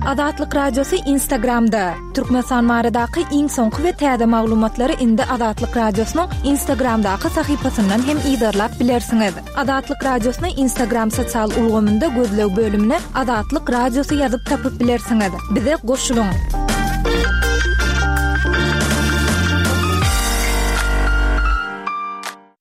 Azatlyk Radiosy Instagramda. Türkmenistan baradaky iň soňky we täze maglumatlary indi Azatlyk Radiosynyň Instagramdaky sahypasyndan hem yzarlap bilersiňiz. Azatlyk Radiosyny Instagram sosial ulgamynda gözleg bölümine Azatlyk Radiosy ýazyp tapyp bilersiňiz. Bize goşulyň!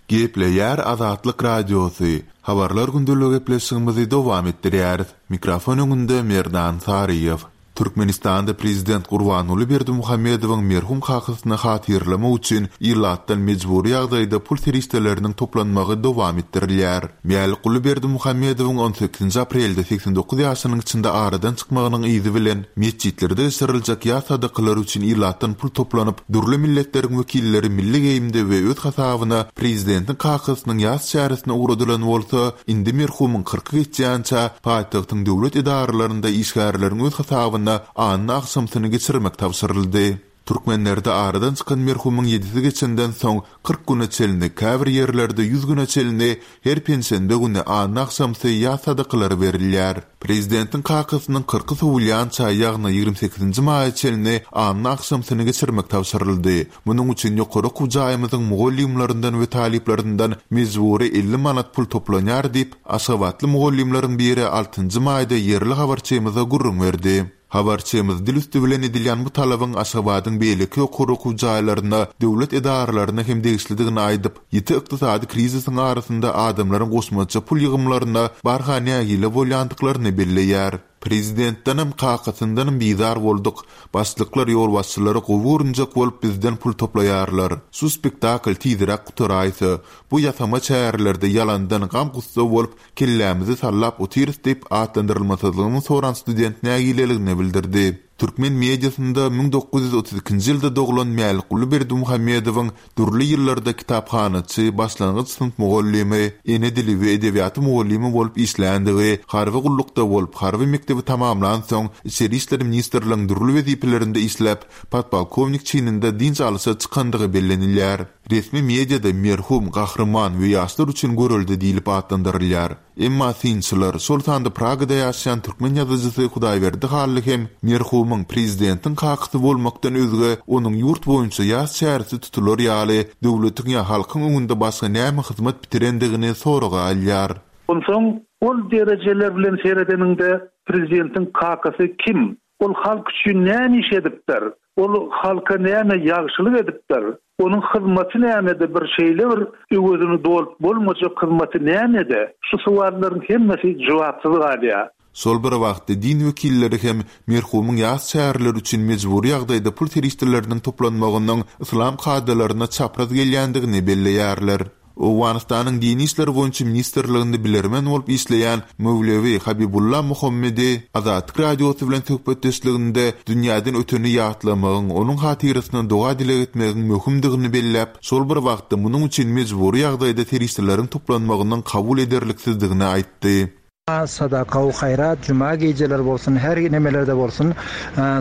Gepleýär Azatlyk Radiosy, Habarlar gündelik gepleşigimizi dowam etdirýäris. Mikrofon öňünde Merdan Saryýew. Türkmenistanda prezident Gurbanguly Berdimuhamedowyň merhum kakasyny hatyralamak üçin ilatdan mejbury ýagdaýda pul serişdeleriniň toplanmagy dowam etdirilýär. Mälikguly Berdimuhamedowyň on sekizinji aprelde 89 ýaşynyň içinde aradan çykmagynyň yzy bilen metjitlerde geçiriljek ýas sadakalary üçin ilatdan pul toplanyp, dürli milletleriň wekilleri milli geýimde we öz hasabyna prezidentiň kakasynyň ýas çäresine ugradylan bolsa, indi merhumyň kyrky geçýänçä paýtagtyň döwlet edaralarynda işgärleriň öz hasabyna anna agşamsyny geçirmek tabşyryldy. Türkmenlerde aradan çykan merhumyň ýedisi geçenden soň 40 güne çenli, käbir ýerlerde ýüz güne çenli her penşenbe güni anna agşamsy ýas sadakalary berilýär. Prezidentiň kakasynyň kyrky sowulýança, ýagny 28-nji maýa çenli anna agşamsyny geçirmek tabşyryldy. Munuň üçin ýokary okuw jaýymyzyň mugallymlaryndan we talyplaryndan mejbury 50 manat pul toplanýar diýip, aşgabatly mugallymlaryň biri altynjy maýda ýerli habarçymyza gürrüň berdi. Habarçymyz dil üsti bilen edilýän bu talabyň Aşgabadyň beýleki ýokary okuw jaýlaryna, döwlet edaralaryna hem degişlidigini aýdyp, ýiti ykdysady krizisiň arasynda adamlaryň goşmaça pul ýygymlaryna barha nägile bolýandyklaryny belleýär. Prezidentdenem, kakasyndanam bizar bolduk. Başlyklar ýolbaşçylary gowy görünjek bolup bizden pul toplaýarlar. Şu spektakl tizräk gutaraýsa. Bu ýasama çärelerde ýalandan gam-gussa bolup, kellämizi sallap otyrys diýip, atlandyrylmasyzlygyny soran student nägileligini bildirdi. Türkmen mediasynda 1932-nji ýylda doglan Mälikguly Berdimuhamedowyň dürli ýyllarda kitaphanaçy, başlangyç synp mugallymy, ene dili we edebiýaty mugallymy bolup işländigi, harby gullukda bolup, harby mekdebi tamamlansoň, Içeri işler ministrligiň dürli wezipelerinde işläp, podpolkownik çininde dynç alyşa çykandygy bellenilýär. Resmi mediada merhum, gahryman we ýaşlar üçin görelde diýlip atlandyrylýar. Emma synçylar, şol sanda Pragada ýaşaýan türkmen ýazyjysy Hudaýberdi Hally hem merhumyň prezidentiň kakasy bolmakdan özge onuň ýurt boýunça ýas çäresi tutular ýaly döwletiň ýa halkyň öňünde başga näme hyzmat bitirendigini soraga alýar. Onsoň ol derejeler bilen seredeniňde prezidentiň kakasy kim? Ol halk üçin näme iş edipdir? Ol halka näme ýagşylyk edipdir? Onuň hyzmaty nämede bir şeýle bir öwezini dolup bolmajak hyzmaty nämede? Şu sowallaryň hemmesi jogapsyz galýar. Şol bir wagtda din wekilleri hem merhumyň ýas çäreleri üçin mejbury ýagdaýda pul serişdeleriniň toplanmagynyň yslam kadalaryna çapraz gelýändigini belleýärler. Owganystanyň Dini işler boýunça ministrliginde bilermen bolup işleýän Mewlewi Habibulla Muhammedi Azatlyk Radiosy bilen söhbetdeşliginde dünýäden öteni ýatlamagyň, onuň hatyrasyna doga-dileg etmegiň möhümdigini belläp, şol bir wagtda munuň üçin mejbury ýagdaýda serişdeleriň toplanmagynyň kabul ederliksizdigini aýtdy. Sadaka-u haýrat juma gijeleri bolsun her nemelerde bolsun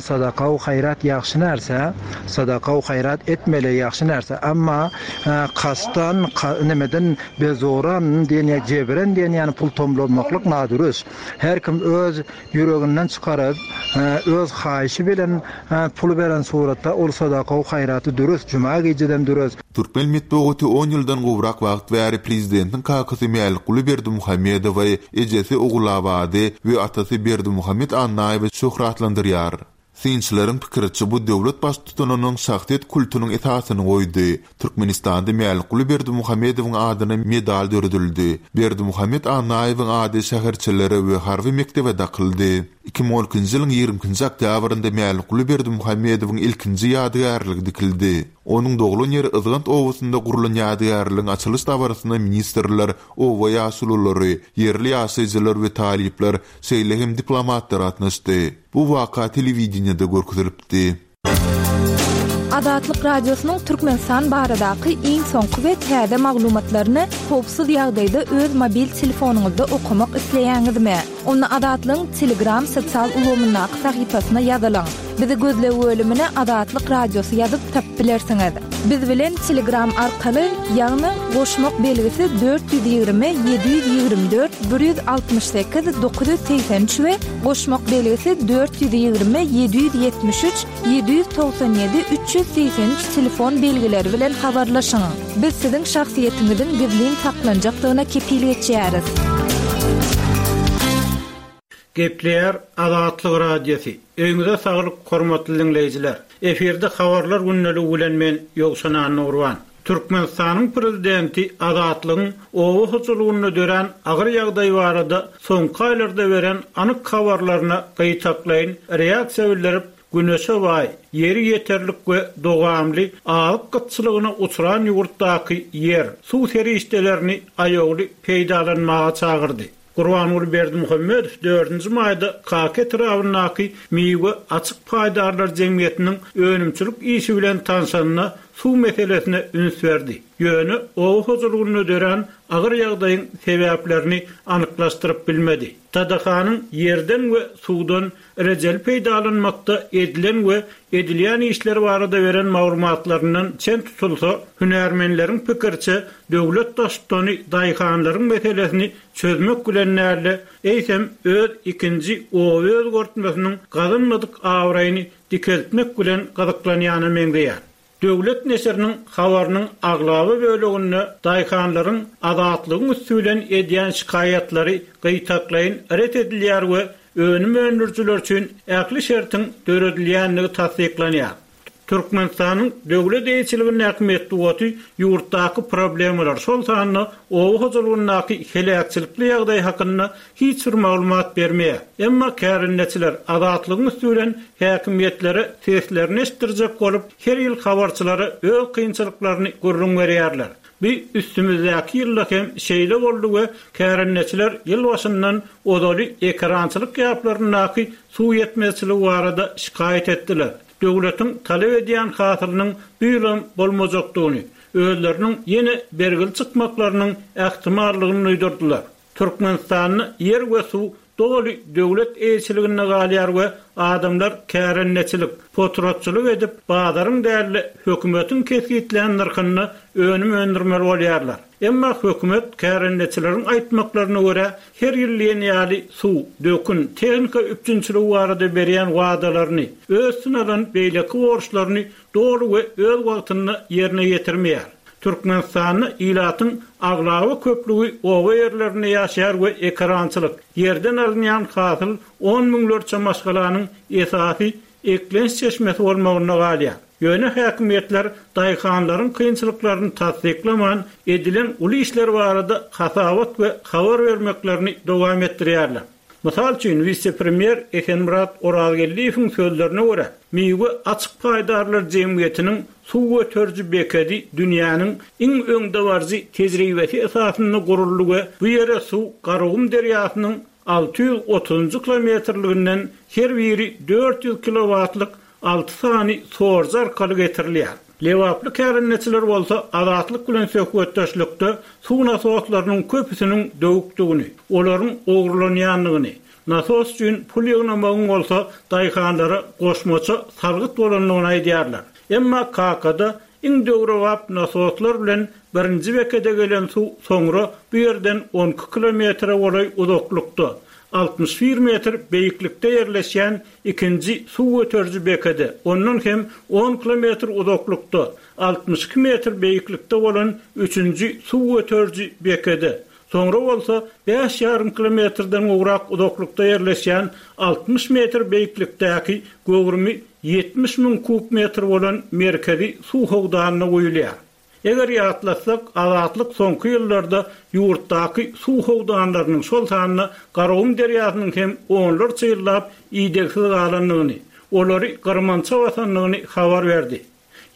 sadaka-u haýrat ýagşy närse sadaka-u haýrat etmeli ýagşy närse emma kasdan nemeden bezoran diýen ýa jebren diýen ýaly pul tomlamaklyk nadürüs her kim öz ýüreginden çykaryp öz haýyşy bilen puly beren suratda ol sadaka-u haýraty dürüs juma gijeden dürüs. Türkmen metbugaty on ýyldan gowrak wagt bäri prezidentiň kakasy Mälikguly Berdimuhamedowy, ejesi Ogulabady we atasy Berdimuhamet Annaýewi şöhratlandyrýar. Synçylaryň pikiriçe, bu döwlet baştutanynyň şahsyýet kultunyň esasyny goýdy. Türkmenistanda Mälikguly Berdimuhamedowyň adyna medal döredildi. Berdimuhamet Annaýewiň ady şäherçelere we harby mekdebe dakyldy. 2012-nji ýylyň 22-nji oktýabrynda Mälikguly Berdimuhamedowyň ilkinji ýadygärligi dikildi. Onuň doglan ýeri Yzgant obasynda gurlan ýadygärligiň açylyş dabarasyna ministrler, oba ýaşululary, ýerli ýaşaýjylar we talyplar, şeýle hem diplomatlar gatnaşdy. Bu waka telewideniýede görkezilipdi. Azatlyk Radiosynyň Türkmenistan baradaky iň soňky we täze maglumatlaryny howpsuz ýagdaýda öz mobil telefonyňyzda okamak isleýäňizmi? Onda Azatlygyň Telegram sosial ulgamyndaky sahypasyna ýazylyň. Bizi gözleg bölümine Azatlyk Radiosy ýazyp tapyp bilersiňiz. Biz bilen Telegram arkaly, ýagny goşmak belgisi 420 724 168 983 we goşmak belgisi 420 773 797 383 telefon belgileri bilen habarlaşyň. Biz siziň şahsyýetiňiziň gizlin saklanjakdygyna kepil geçýäris. Gepleýär Azatlyk Radiosy. Öýüňize saglyk hormatly diňleýjiler. Efirde habarlar gündeligi bilen men Ýowşan Annagurban. Türkmenistanyň Prezidenti Azatlygyň oba hojalygynda dörän agyr ýagdaý barada soňky aýlarda beren anyk habarlaryna gytaklaýyn reaksiýa bildirip, güneşe baý, ýeri ýeterlik we dowamly azyk gytçylygyna uçran ýurtdaky ýer, suw serişdelerini aýawly peýdalanmaga çagyrdy. Gurbanguly Berdimuhamedow dördünji maýda Kaka etrabyndaky Miwe açyk paýdarlar jemgyýetiniň önümçilik işi bilen tanşanda suw meselesine üns berdi. Ýöne oba hojalygynda dörän agyr ýagdaýyň sebäplerini anyklaşdyryp bilmedi. TDH-nyň ýerden we suwdan rejeli peýdalanmakda edilen we edilýän işler barada beren maglumatlaryndan çen tutulsa, hünärmenleriň pikiriçe, döwlet baştutany daýhanlaryň meselesini çözmek bilen däl-de, eýsem, öz ikinji oba özgertmesiniň gazanmadyk abraýyny dikeltmek bilen gyzyklanýana meňzeýär. Döwlet neşiriniň habarynyň aglaba böleginde daýhanlaryň Azatlygyň üsti bilen edýän şikaýatlary gytaklaýyn ret edilýär we önüm öndürijiler üçin ähli şertiň döredilýändigi tassyklanýar. Türkmenistanyň döwlet eýeçiligindäki metbugaty ýurtdaky problemalar, şol sanda oba hojalygyndaky heläkçilikli ýagdaý hakynda hiç bir maglumat bermeýär. Emma kärendeçiler Azatlygyň üsti bilen häkimiýetlere seslerini eşitdirjek bolup, her ýyl habarçylara öz kynçylyklaryny gürrüň berýärler. Bu üstümizdäki ýylda hem şeýle boldy we kärendeçiler ýyl başyndan ozaly ekerançylyk ýaplaryndaky suw ýetmezçiligi barada şikaýat etdiler. Döwletiň talap edýän hasylynyň bu ýylam bolmajakdygyny, özleriniň ýene bergili çykmaklarynyň ähtimallygyny duýdurdylar. Türkmenistanda ýer we suw doly döwlet eýeçiliginde galýar we adamlar kärendeçilik, potratçylyk edip, bazaryň däl-de, hökümetiň kesgitlän nyrhynda önüm öndürmeli bolýarlar. Emma hökümet kärendeçileriň aýtmaklaryna görä, her ýyl diýen ýaly suw, dökün, tehnika üpjünçiligi barada berýän wadalaryny, öz üstüne alan beýleki borçlaryny doly we öz wagtynda ýerine ýetirmeýär. Türkmenistanda ilatyň aglaba köplügi oba ýerlerinde ýaşaýar we ekerançylyk, ýerden alynýan hasyl on müňlerçe maşgalanyň esasy eklenç çeşmesi bolmagynda galýar. Ýöne häkimiýetler daýhanlaryň kynçylyklaryny tassyklaman, edilen uly işler barada hasabat we habar bermeklerini dowam etdirýärler. Mysal üçin, wise-premýer Esenmyrat Orazgeldiýewiň sözlerine görä, Miwe açyk paýdarlar jemgyýetiniň suw göteriji bekedi dünýäniň iň öňdebaryjy tejribesi esasynda guruldy we bu ýere suw Garagum derýasynyň 630-njy kilometrliginden her biri 400 kilowatlyk alty sany sorujy arkaly getirilýär. Lebaply kärendeçiler bolsa Azatlyk bilen söhbetdeşlikde suw nasoslarynyň köpüsiniň döwükdigini, olaryň ogurlanýandygyny, nasos üçin pul ýygnamagyň bolsa daýhanlara goşmaça salgyt bolandygyny aýdýarlar. Emma Kakada iň döwrebap nasoslar bilen birinji bekede gelen suw soňra bu ýerden 12 kilometre golaý uzaklykda, 61 metr beýiklikde ýerleşýän Ikinji suw göteriji bekede, ondan hem on kilometr uzaklykda, 62 metr beýiklikde bolan üçünji suw göteriji bekede, soňra bolsa bäş ýarym kilometrden gowrak uzaklykda ýerleşýän 60 metr beýiklikdäki göwrümi 70 müň kub metr bolan merkezi suw howdanyna guýulýar. Eger ýatlasak, Azatlyk soňky ýyllarda ýurtdaky suw howdanlarynyň, şol sanda Garagum derýasynyň hem onlarça ýyllap idegsiz galandygyny, olary gyrmança basandygyny habar berdi.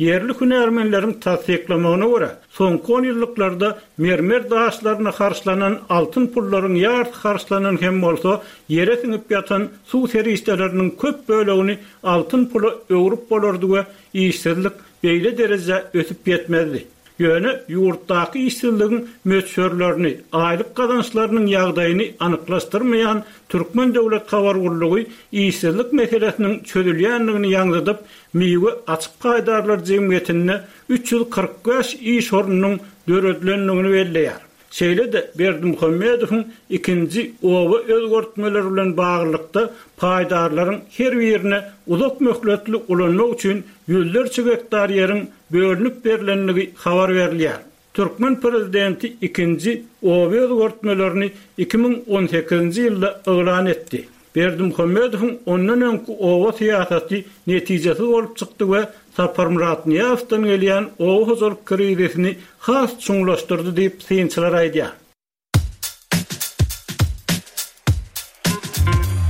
Ýerli hünärmenleriň tassyklamagyna görä, soňky onýyllyklarda mermer daşlaryna harçlanan altyn pullaryň ýarysy harçlanan hem bolsa, ýere siňip ýatan suw serişdeleriniň köp bölegini altyn pula öwrüp bolardy we işsizlik beýle derejä ösüp ýetmezdi. Ýöne ýurtdaky işsizligiň möçberlerini, aýlyk gazançlarynyň ýagdaýyny anyklaşdyrmaýan Türkmen döwlet habar gullugy işsizlik meselesiniň çözülýändigini ýaňzydyp, Miwe açyk paýdarlar jemgyýetinde 345 iş ornunyň döredilendigini belleýär. Şeýle-de Berdimuhamedowyň ikinji oba özgertmeleri bilen baglylykda paýdarlaryň her birine uzak möhletli ulanmak üçin ýüzlerçe gektar ýeriň bölünip berlendigi habar berilýär. Türkmen prezidenti ikinji oba özgertmelerini 2018-nji ýylda yglan etdi. Berdimuhamedowyň ondan öňki oba syýasaty netijesiz bolup çykdy we Saparmyrat Nyýazowdan gelýän oba hojalyk krizisini has çuňlaşdyrdy diýip, synçylar aýdýar.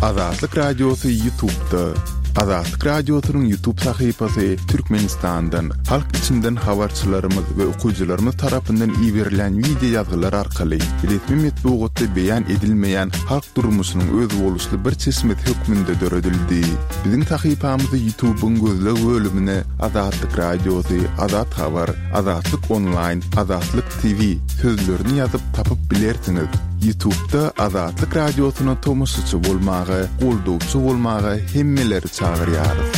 Azatlyk Radiosy Ýutubda. Azatlyk Radiosynyň Ýutub sahypasy Türkmenistandan, halk içinden habarçylarymyz we okyjylarymyz tarapyndan iberilen wideo ýazgylar arkaly resmi metbugatda beýan edilmeýän halk durmuşynyň özboluşly bir çeşmesi hökmünde döredildi. Biziň sahypamyzy Ýutubyň gözleg bölümine Azatlyk Radiosy, Azat Habar, Azatlyk Onlaýn, Azatlyk TV sözlerini ýazyp tapyp bilersiňiz. Ýutubda Azatlyk Radiosyna tomaşaçy bolmaga, goldawçy bolmaga hemmeleri çagyrýarys.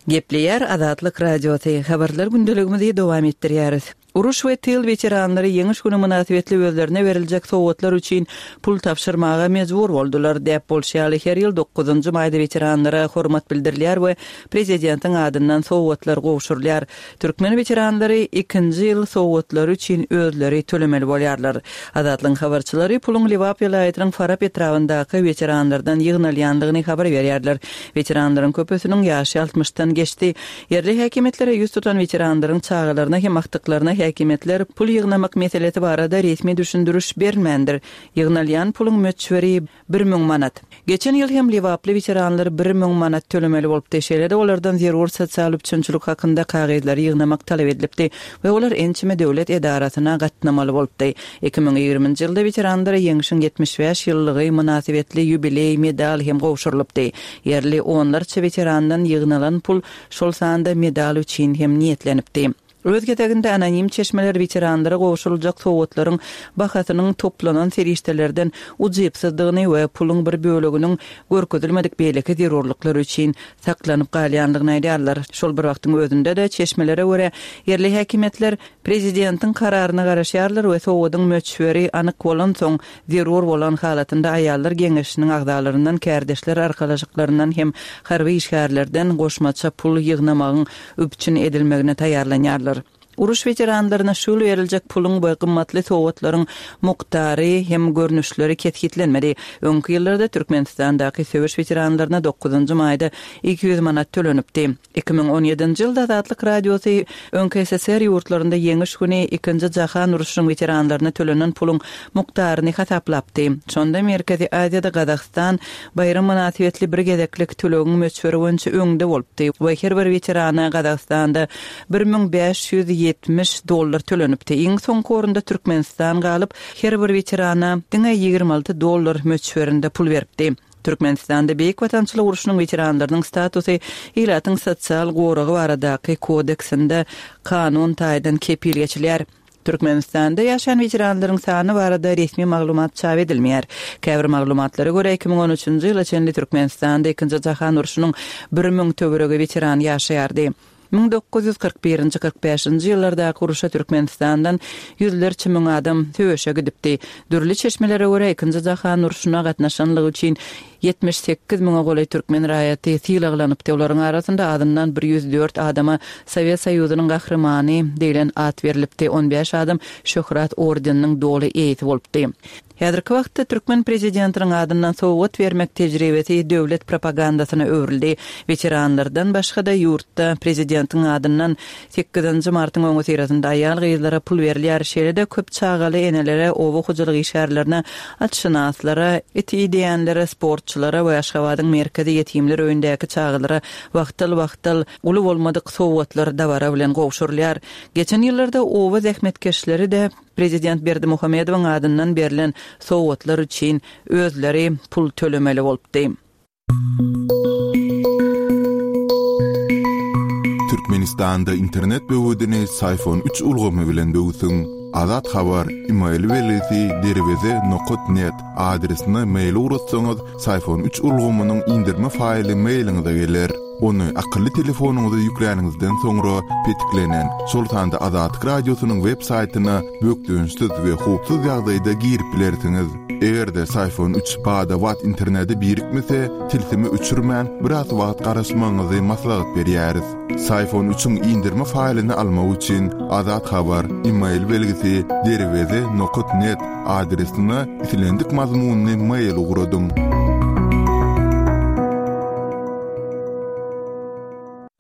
Gepleýär Azatlyk Radiosy, Habarlar gündeligimizi dowam etdirýäris. Uruş we tyl weteranlary Ýeňiş güni mynasybetli özlerine beriljek sowgatlar üçin pul tabşyrmaga mejbur boldular. Däp bolşy ýaly, her ýyl dokuzynjy maýda weteranlara hormat bildirilýär we prezidentiň adyndan sowgatlar gowşurylýar. Türkmen weteranlary ikinji ýyl sowgatlary üçin özleri tölemeli bolýarlar. Azatlygyň habarçylary puluň Lebap welaýatynyň Farap etrabyndaky weteranlardan ýygnalýandygyny habar berýärler. Weteranlaryň köpüsiniň ýaşy altmyşdan geçdi. Ýerli häkimiýetlere ýüz tutan weteranlaryň çagalaryna hem agtyklaryna häkimiýetler pul ýygnamak meselesi barada resmi düşündiriş bermändir. Ýygnalýan puluň möçberi 1000 manat. Geçen ýyl hem lebaply weteranlar 1000 manat tölemeli bolupdy. Şeýle-de olardan zerur sosial üpjünçilik hakynda kagyzlary ýygnamak talap edilipdi we olar ençeme döwlet edarasyna gatnamaly bolupdy. 2020-nji ýylda weteranlara Ýeňşiň 75 ýyllygy mynasybetli ýubileý medal hem gowşurylypdy. Ýerli onlarça weterandan ýygnalan pul şol sanda medal üçin hem niýetlenipdi. Öz gezeginde anonim çeşmeler weteranlara gowşuryljak sowgatlaryň bahasynyň toplanan serişdelerden ujypsyzdygyny we puluň bir böleginiň görkezilmedik beýleki zerurlyklar üçin saklanyp galýandygyny aýdýarlar. Şol bir wagtyň özünde-de, çeşmelere görä, ýerli häkimiýetler prezidentiň kararyna garaşýarlar we sowgadyň möçberi anyk bolansoň, zerur bolan halatynda aýallar geňeşiniň agzalaryndan, kärdeşler arkalaşyklaryndan hem harby işgärlerden goşmaça pul ýygnamagyň üpjün edilmegine taýýarlanýarlar. Uruş weteranlaryna şu ýyl beriljek puluň we gymmatly sowgatlaryň mukdary hem görnüşleri kesgitlenmedi. Öňki ýyllarda Türkmenistandaky söweş weteranlaryna dokuzynjy maýda 200 manat tölenipdi. 2017-nji ýylda Azatlyk Radiosy öňki SSR ýurtlarynda Ýeňiş güni Ikinji jahan urşunyň weteranlaryna tölenen puluň mukdaryny hasaplapdy. Şonda Merkezi Aziýada Gazagystan Baýram mynasybetli bir gezeklik tölegiň möçberi boýunça öňde bolupdy we her bir weterana Gazagystanda 1570 dollar tölenipdi. Iň soňky orunda Türkmenistan galyp, her bir weterana diňe 26 dollar möçberinde pul beripdi. Türkmenistanda Beýik Watançylyk urşunyň weteranlarynyň statusy ilatyň sosial goragy baradaky kodeksinde kanun taýdan kepil geçilýär. Türkmenistanda ýaşaýan weteranlaryň sany barada resmi maglumat çap edilmeýär. Käbir maglumatlara görä, 2013-nji ýyla çenli Türkmenistanda Ikinji jahan urşunyň 1000 töweregi weterany ýaşaýardy. 1941-nji, 45-nji ýyllardaky urşa Türkmenistandan ýüzlerçe müň adam söweşe gidipdi. Dürli çeşmelere görä, Ikinji jahan urşuna gatnaşanlygy üçin 78 müňe golaý türkmen raýaty sylaglanypdy, olaryň arasynda azyndan bir 104 adama Sowet Soýuzynyň Gahrymany diýlen at berlipdi, on bäş adam Şöhrat ordeniniň doly eýesi bolupdy. Häzirki wagtda türkmen prezidentiniň adyndan sowgat bermek tejribesi döwlet propagandasyna öwrüldi. Weteranlardan başga-da ýurtda prezidentiň adyndan Sekizinji martyň öňüsyrasynda aýal-gyzlara pul berilýär, şeýle-de köp çagaly enelere, oba hojalyk işgärlerine, atşynaslara, it ideýänlere, sportçylara we Aşgabadyň merkezi ýetimler öýündäki çagalara wagtal-wagtal uly bolmadyk sowgatlar dabara bilen gowşurylýar. Geçen ýyllarda oba zähmetkeşleri-de prezident Berdimuhamedowyň adyndan berlen sowgatlar üçin özleri pul tölemeli bolupdy. Türkmenistanda internet böwedini Syfon üç ulgamy bilen böwsüň. Azat Habar, email belgisi derweze nokat net adresine mail ugratsaňyz, Syfon üç ulgamynyň indirme faýly mailiňize geler. Ony akylly telefonyňyza ýükläniňizden soňra petiklenen, şol sanda Azatlyk Radiosynyň web saýtyna bökdençsiz we howpsuz ýagdaýda girip bilersiňiz. Eger-de Syfon üç bada-bat internete birikmese, tilsimi öçürmän, biraz wagt garaşmagyňyzy maslahat berýäris. Syfon üçiň indirme faýlyny almak üçin Azat Habar, email belgisi, derweze nokat net adresine islendik mazmunly mail ugradyň.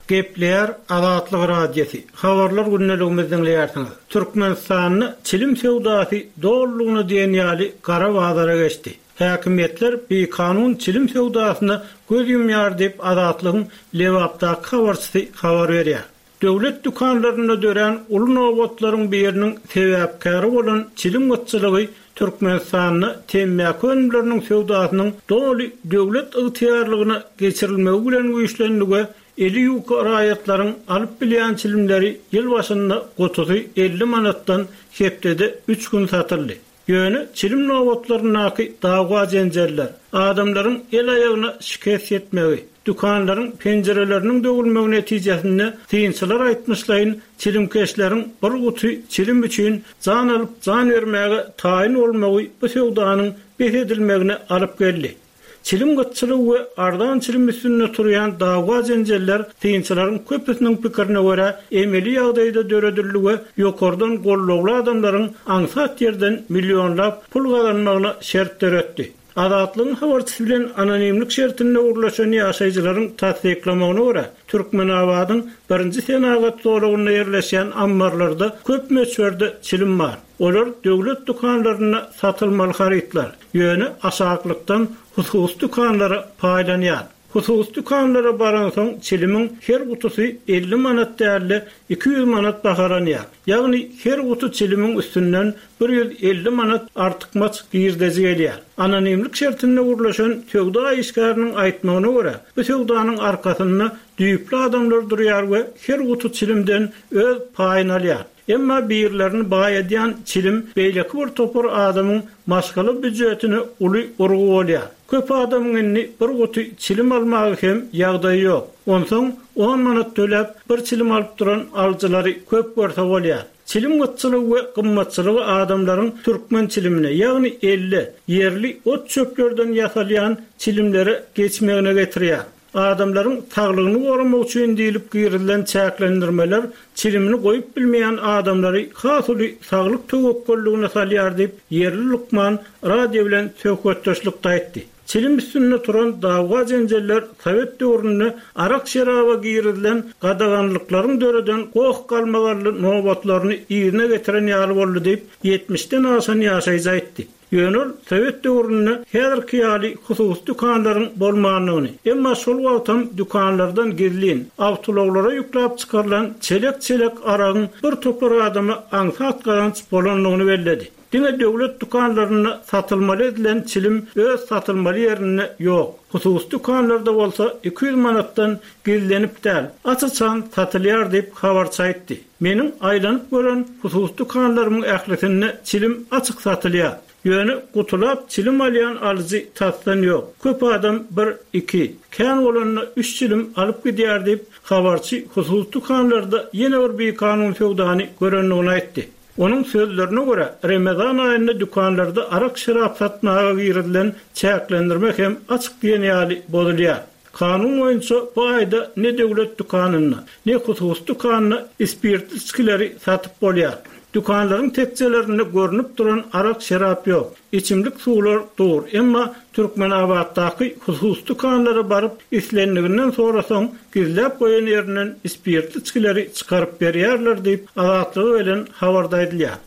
Gepleýär Azatlyk Radiosy, Habarlar gündeligimizi diňleýärsiňiz. Türkmenistanda çilim söwdasy dolulygyna diýen ýaly gara bazara geçdi. Häkimiýetler bikanun çilim söwdasyna göz ýumýar diýip, Azatlygyň Lebapdaky habarçysy habar berýär. Döwlet dükanlarynda dörän uly nobatlaryň biriniň sebäpkäri bolan çilim gytçylygy Türkmenistanda temmäki önümleriniň söwdasynyň doly döwlet ygtyýarlygyna geçirilmegi bilen güýçlendi we eli ýuka raýatlaryň alyp bilýän çilimleri ýyl başynda gutusy 50 manatdan hepdede üç gün satyldy. Ýöne çilim nobatlaryndaky dawa-jenjeller, adamlaryň el-aýagyna şikes ýetmegi, dükanlaryň penjireleriniň döwülmegi netijesinde, synçylar aýtmyşlaýyn, çilimkeşleriň bir guty çilim üçin jan alyp, jan bermäge taýyn bolmagy bu söwdanyň bes edilmegine alyp geldi. Çilim gytçylygy we arzan çilim üstünde turýan dawa-jenjeller synçylaryň köpüsiniň pikirine görä emeli ýagdaýda döredildi we ýokardan gollawly adamlaryň aňsat ýerden millionlap pul gazanmagyna şert döretdi. Azatlygyň habarçysy bilen anonimlik şertinde gürleşen ýaşaýjylaryň tassyklamagyna görä, Türkmenabadyň birinji senagat zolagynda ýerleşýän ammarlarda köp möçberde çilim bar. Olar döwlet dükanlarynda satylmaly harytlar. Ýöne aşaklykdan hususy dükanlara paýlanýar. Hususy dükanlara baransoň çilimiň her gutusy 50 manat däl-de, 200 manat bahalanýar. Ýagny her guty çilimiň üstünden 150 manat artykmaç girdeji gelýär. Anonimlik şertinde gürleşen söwda işgäriniň aýtmagyna görä, bu söwdanyň arkasynda düýpli adamlar durýar we her guty çilimden öz paýyny alýar. Emma birlerini baýadýan çilim beýleki bir topar adamyň maşgala býujetine uly urgy bolýar. Köp adamyň indi bir guty çilim almaga hem ýagdaýy ýok. Onsoň on manat töläp bir çilim alyp duran alyjylary köp görse bolýar. Çilim gytçylygy we gymmatçylygy adamlaryň türkmen çilimine, ýagny elle, ýerli ot-çöplerden ýasalýan çilimlere geçmegine getirýär. Adamlaryň saglygyny goramak üçin diýlip girizilen çäklendirmeler çilimini goýup bilmeýän adamlary has uly saglyk töwekgelligine salýar diýip, ýerli lukman radio bilen söhbetdeşlikde aýtdy. Çilim üstünde turan dawa-jenjeller sowet döwründe arak-şeraba girizilen gadaganlyklaryň döreden goh-galmagally nobatlaryny yzyna getiren ýaly boldy diýip, ýetmişden aşan ýaşaýjy aýtdy. Ýöne ol sowet döwründe häzirki ýaly hususy dükanlaryň bolmandygyny, emma şol wagtam dükanlardan gizlin, awtoulaglara ýükläp çykarylan çelek-çelek aragyň bir topar adama aňsat gazanç bolandygyny belledi. Diňe döwlet dükanlarynda satylmaly edilen çilim öz satylmaly ýerinde ýok. Hususy dükanlarda bolsa 200 manatdan gizlenip däl, aç-açan satylýar diýip, habarçy aýtdy. Meniň aýlanyp gören hususy dükanlarymyň ählisinde çilim açyk satylýar. Ýöne gutulap çilim alýan alyjy tasdan ýok. Köp adam bir, iki, kän bolanda üç çilim alyp gidýär diýip, habarçy hususy dükanlarda ýene bir bikanun söwdany görendigini aýtdy. Onuň sözlerine görä, Remezan aýynda dükanlarda arak-şerap satmaga girizilen çäklendirme hem açyk diýen ýaly bozulýar. Kanun boýunça bu aýda ne döwlet dükanynda, ne hususy dükanda spirtli içgileri satyp bolýar. Dükanlaryň tekjelerinde görnüp duran arak-şerap ýok. Içimlik suwlar dur. Emma Türkmenabatdaky hususy dükanlara baryp, islendiginden sorasaň, gizläp goýan ýerinden spirtli içgileri çykaryp berýärler diýip, Azatlyga gelen habarda aýdylýar.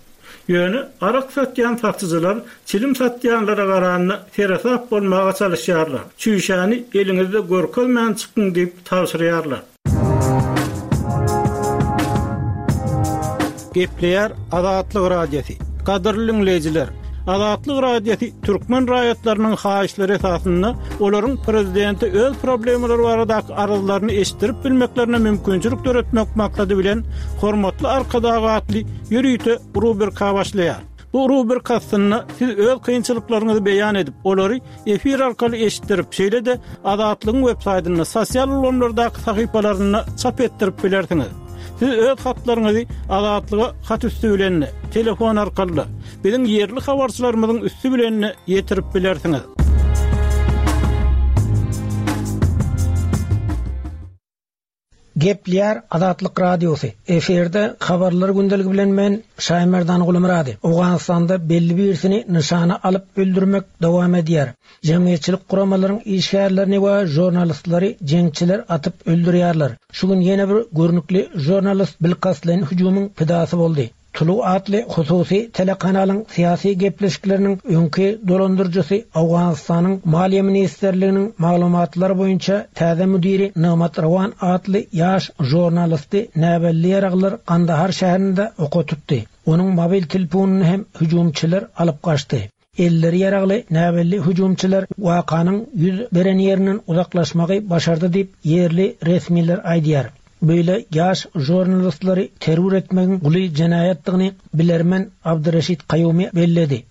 Ýöne arak satýan satyjylar çilim satýanlara garanda seresap bolmaga çalyşýarlar. Çüýşäni eliňizde görkezmän çykyň diýip tabşyrýarlar. Gepleýär Azatlyk Radiosy. Gadyrly diňleýjiler! Azatlyk Radiosy türkmen raýatlarynyň haýyşlary esasynda olaryň prezidente öz problemalary baradaky arzlaryny eşitdirip bilmeklerine mümkinçilik döretmek maksady bilen Hormatly Arkadag atly ýörite rubrika başlaýar. Bu rubrika astynda siz öz kynçylyklaryňyzy beýan edip, olary efir arkaly eşitdirip, şeýle-de Azatlygyň websaýtynda, sosial ulgamlardaky sahypalarynda çap etdirip bilersiňiz. Siz öz hatlaryňyzy Azatlyga hat üsti bilen-de, telefon arkaly-da, biziň ýerli habarçylarymyzyň üsti bilen-de ýetirip bilersiňiz. Gepleýär Azatlyk Radiosy, Efirde Habarlar gündeligi bilen men, Şaýmerdan Gulmyrady. Owganystanda belli birisini nyşana alyp öldürmek dowam edýär. Jemgyýetçilik guramalaryň işgärlerini we žurnalistlary jeňçiler atyp öldürýärler. Şu gün ýene bir görnükli žurnalist bilkastlaýyn hüjümiň pidasy boldy. Tulu atly hususy telekanalyň syýasy gepleşikleriniň öňki dolandyryjysy Owganystanyň Maliýe ministrliginiň maglumatlary boýunça täze müdiri Nygmat Rowan atly ýaş žurnalisti näbelli ýaraglylar Gandahar şäherinde oka tutdy. Onuň mobil telefonyny hem hüjümçiler alyp gaçdy. Elleri ýaragly näbelli hüjümçiler wakanyň ýüz beren ýerinden uzaklaşmagy başardy diýip, ýerli resmiler aýdýar. Beýle ýaş žurnalistleri terror etmegiň uly jenaýatdygyny bilermen Abdyreşit Kaýumi belledi.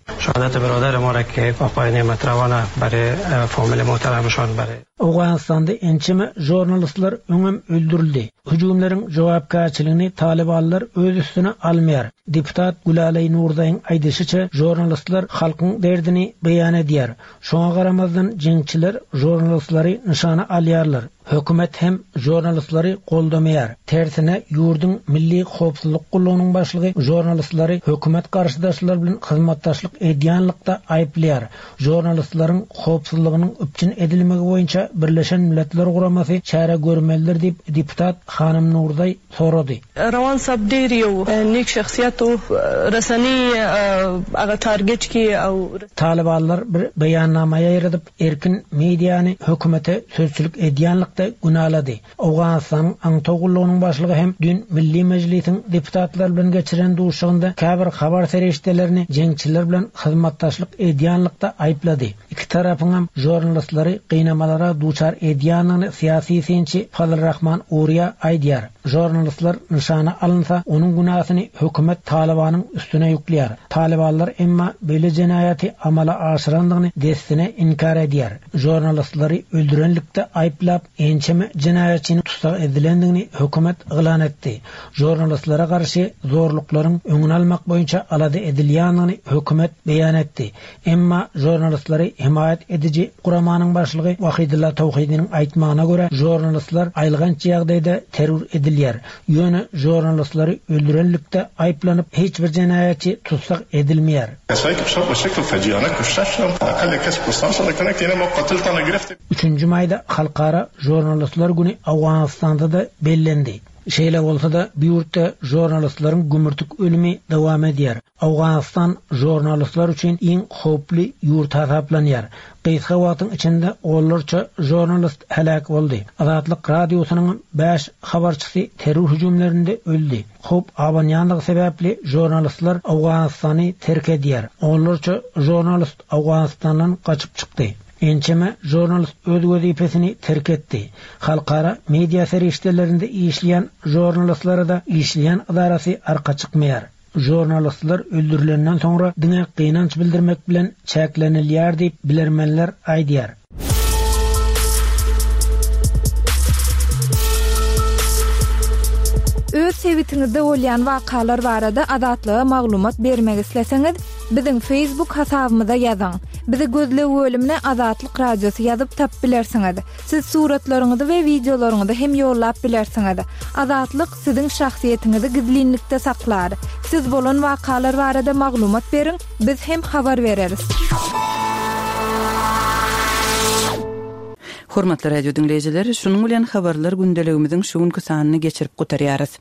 Owganystanda ençeme žurnalistler öňem öldürildi. Hüjümleriň jogapkärçiligini talybanlar öz üstüne almaýar. Deputat Gülaleý Nurzaýyň aýdyşyça, žurnalistler halkyň derdini beýan edýär. Şoňa garamazdan jeňçiler žurnalistleri nyşana alýarlar. Hökümet hem žurnalistleri goldamaýar. Tersine, ýurduň Milli howpsuzlyk gullugynyň başlygy žurnalistleri hökümet garşydaşlary bilen hyzmatdaşlyk edýänlikde aýyplaýar. Žurnalistleriň howpsuzlygynyň üpjün edilmegi boýunça Birleşen Milletler Guramasy çäre görmelidir diýip, deputat hanym Nurzaý sorady. Rawan sab ډیر یو نیک شخصیت وو رسنی هغه ټارګټ کی او. Talybanlar bir beýannama ýaýradyp, erkin mediany hökümete sözçülik edýänlikde günalady. Owganystanyň aňtaw gullugynyň başlygy hem düýn Milli Mejlisiň deputatlary bilen geçiren duşuşygynda käbir habar serişdelerini jeňçiler bilen hyzmatdaşlyk edýänlikde aýyplady. Iki tarapyňam žurnalistleri gynamalara duçar edýändigini syýasy synçy Fazlrahman Uriýa aýdýar. Žurnalistler nyşana alynsa, onuň günäsini hökümet Talybanyň üstüne ýükleýär. Talybanlar emma beýle jenaýaty amala aşyrandygyny dessine inkär edýär. Žurnalistleri öldürenlikde aýyplap, Ençeme jenaýatçynyň tussag edilendigini hökümet yglan etdi. Žurnalistlere garşy zorluklaryň öňüni almak boýunça alada edilýändigini hökümet beýan etdi. Emma žurnalistleri hemaýat ediji guramanyň başlygy Wahidulla Tawhidiniň aýtmagyna görä, žurnalistler aýylganç ýagdaýda terror edilýär. Ýöne žurnalistleri öldürenlikde aýyplanyp hiç bir jenaýatçy tussag edilmeýär. Üçünji maýda Halkara žurnalistler güni Owganystanda-da bellendi. Şeýle bolsa-da, bu ýurtda žurnalistleriň gümürtik ölümi dowam edýär. Owganystan žurnalistler üçin iň howply ýurt hasaplanýar. Gysga wagtyň içinde onlarça žurnalist heläk boldy. Azatlyk Radiosynyňam bäş habarçysy terror hüjümlerinde öldi. Howp abanýanlygy sebäpli žurnalistler Owganystany terk edýär. Onlarça žurnalist Owganystandan gaçyp çykdy. Ençeme žurnalist öz wezipesini terk etdi. Halkara media serişdelerinde işleýän žurnalistlere-de işleýän ydarasy arka çykmaýar. Žurnalistler öldürilenden soňra diňe gynanç bildirmek bilen çäklenilýär diýip, bilermenler aýdýar. Öz sebitiňizde bolýan wakalar barada Azatlyga maglumat bermek isleseňiz, Biziň Facebook hasabymyza ýazyň. Bizi gözleg bölümine Azatlyk Radiosy ýazyp tapyp bilersiňiz. Siz suratlaryňyzy we wideolaryňyzy hem ýollap bilersiňiz. Azatlyk siziň şahsyýetiňizi gizlinlikde saklar. Siz bolan wakalar barada maglumat beriň, biz hem habar bereris. Hormatly radio diňleýjiler, şunuň bilen Habarlar gündeligimiziň şu günki sanyny geçirip gutarýarys.